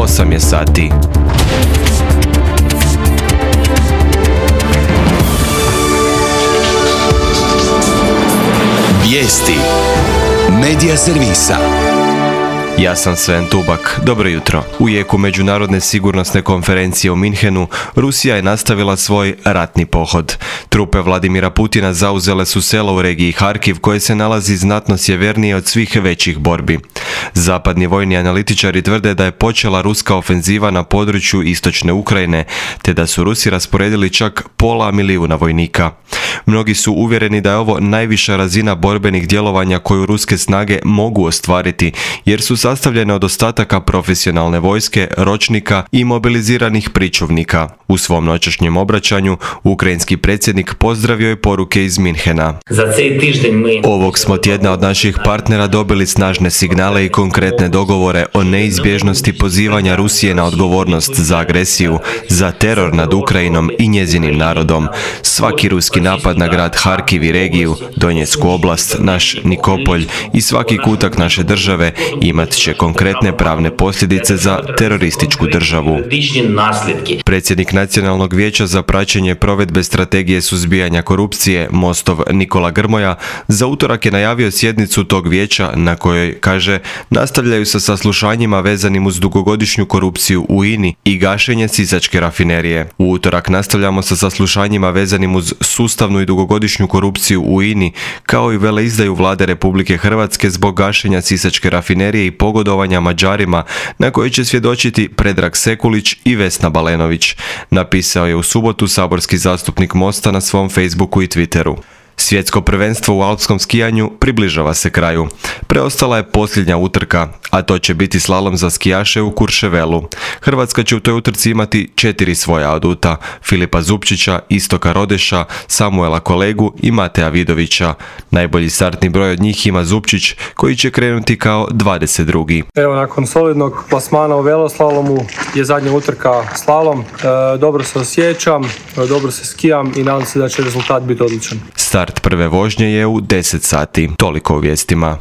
8 je sati. Vijesti Medija servisa. Ja sam Sven Tubak. Dobro jutro. U jeku Međunarodne sigurnosne konferencije u Minhenu, Rusija je nastavila svoj ratni pohod. Trupe Vladimira Putina zauzele su selo u regiji Harkiv koje se nalazi znatno sjevernije od svih većih borbi. Zapadni vojni analitičari tvrde da je počela ruska ofenziva na području istočne Ukrajine, te da su Rusi rasporedili čak 500.000 vojnika. Mnogi su uvjereni da je ovo najviša razina borbenih djelovanja koju ruske snage mogu ostvariti, jer su sastavljene od ostataka profesionalne vojske, ročnika i mobiliziranih pričuvnika. U svom noćašnjem obraćanju, ukrajinski predsjednik pozdravio je poruke iz Minhena. Ovog smo tjedna od naših partnera dobili snažne signale i konkretne dogovore o neizbježnosti pozivanja Rusije na odgovornost za agresiju, za teror nad Ukrajinom i njezinim narodom. Svaki ruski napad na grad Harkiv i regiju, Donjecku oblast, naš Nikopolj i svaki kutak naše države imat će konkretne pravne posljedice za terorističku državu. Predsjednik Nacionalnog vijeća za praćenje provedbe strategije suzbijanja korupcije, Mostov Nikola Grmoja, za utorak je najavio sjednicu tog vijeća na kojoj, kaže, nastavljaju sa saslušanjima vezanim uz dugogodišnju korupciju u INI i gašenje Sisačke rafinerije. U utorak nastavljamo sa saslušanjima vezanim uz sustavnu i dugogodišnju korupciju u INI, kao i veleizdaju vlade Republike Hrvatske zbog gašenja Sisačke rafinerije i pogodovanja Mađarima, na kojoj će svjedočiti Predrag Sekulić i Vesna Balenović, napisao je u subotu saborski zastupnik Mosta na svom Facebooku i Twitteru. Svjetsko prvenstvo u alpskom skijanju približava se kraju. Preostala je posljednja utrka, a to će biti slalom za skijaše u Kurševelu. Hrvatska će u toj utrci imati 4 svoja aduta: Filipa Zupčića, Istoka Rodeša, Samuela Kolegu i Mateja Vidovića. Najbolji startni broj od njih ima Zupčić, koji će krenuti kao 22. Evo, nakon solidnog plasmana u veloslalomu je zadnja utrka slalom. Dobro se osjećam, dobro se skijam i nadam se da će rezultat biti odličan. Start prve vožnje je u 10 sati. Toliko u vijestima.